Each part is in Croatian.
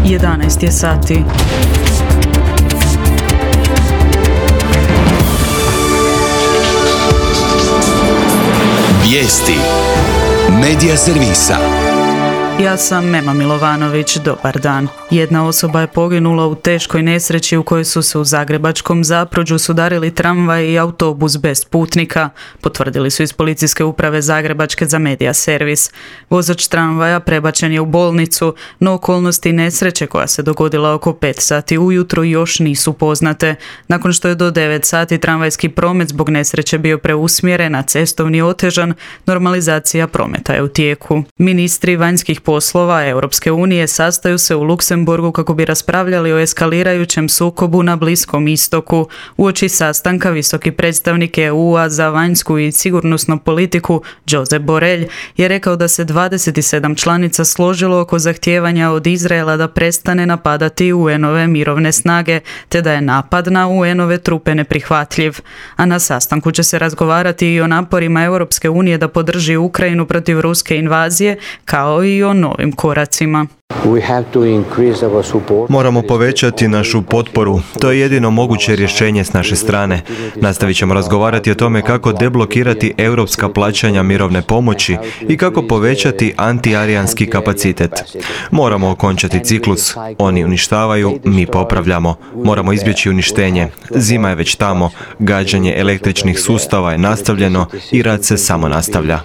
11 je sati. Vijesti Medija servisa. Ja sam Mema Milovanović, dobar dan. Jedna osoba je poginula u teškoj nesreći u kojoj su se u zagrebačkom Zapruđu sudarili tramvaj i autobus bez putnika, potvrdili su iz policijske uprave Zagrebačke za Medija servis. Vozač tramvaja prebačen je u bolnicu, no okolnosti nesreće koja se dogodila oko 5 sati ujutro još nisu poznate. Nakon što je do 9 sati tramvajski promet zbog nesreće bio preusmjeren, a cestovni otežan, normalizacija prometa je u tijeku. Ministri vanjskih poslova Europske unije sastaju se u Luksemburgu kako bi raspravljali o eskalirajućem sukobu na Bliskom istoku. Uoči sastanka visoki predstavnik EU-a za vanjsku i sigurnosnu politiku Josep Borrell je rekao da se 27 članica složilo oko zahtijevanja od Izraela da prestane napadati UN-ove mirovne snage, te da je napad na UN-ove trupe neprihvatljiv. A na sastanku će se razgovarati i o naporima Europske unije da podrži Ukrajinu protiv ruske invazije, kao i o novim koracima. Moramo povećati našu potporu. To je jedino moguće rješenje s naše strane. Nastavit ćemo razgovarati o tome kako deblokirati europska plaćanja mirovne pomoći i kako povećati antiarijanski kapacitet. Moramo okončati ciklus. Oni uništavaju, mi popravljamo. Moramo izbjeći uništenje. Zima je već tamo, gađanje električnih sustava je nastavljeno i rad se samo nastavlja.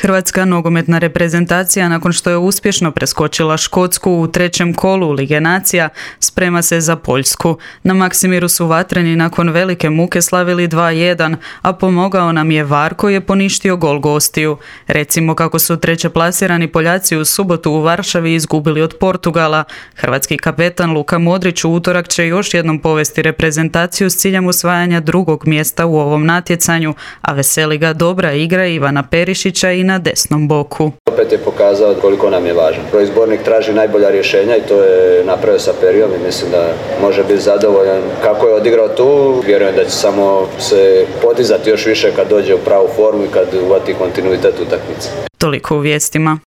Hrvatska nogometna reprezentacija, nakon što je uspješno preskočila Škotsku u trećem kolu Lige nacija, sprema se za Poljsku. Na Maksimiru su vatreni nakon velike muke slavili 2:1, a pomogao nam je VAR koji je poništio gol gostiju. Recimo kako su trećeplasirani Poljaci u subotu u Varšavi izgubili od Portugala. Hrvatski kapetan Luka Modrić u utorak će još jednom povesti reprezentaciju s ciljem osvajanja drugog mjesta u ovom natjecanju, a veseli ga dobra igra Ivana Perišića i na desnom boku. Opet je pokazao koliko nam je važan. Izbornik traži najbolja rješenja i to je napravio sa Perijom i mislim da može biti zadovoljan kako je odigrao tu. Vjerujem da će samo se podizati još više kad dođe u pravu formu i kad uvati kontinuitet utakmice. Toliko u vijestima.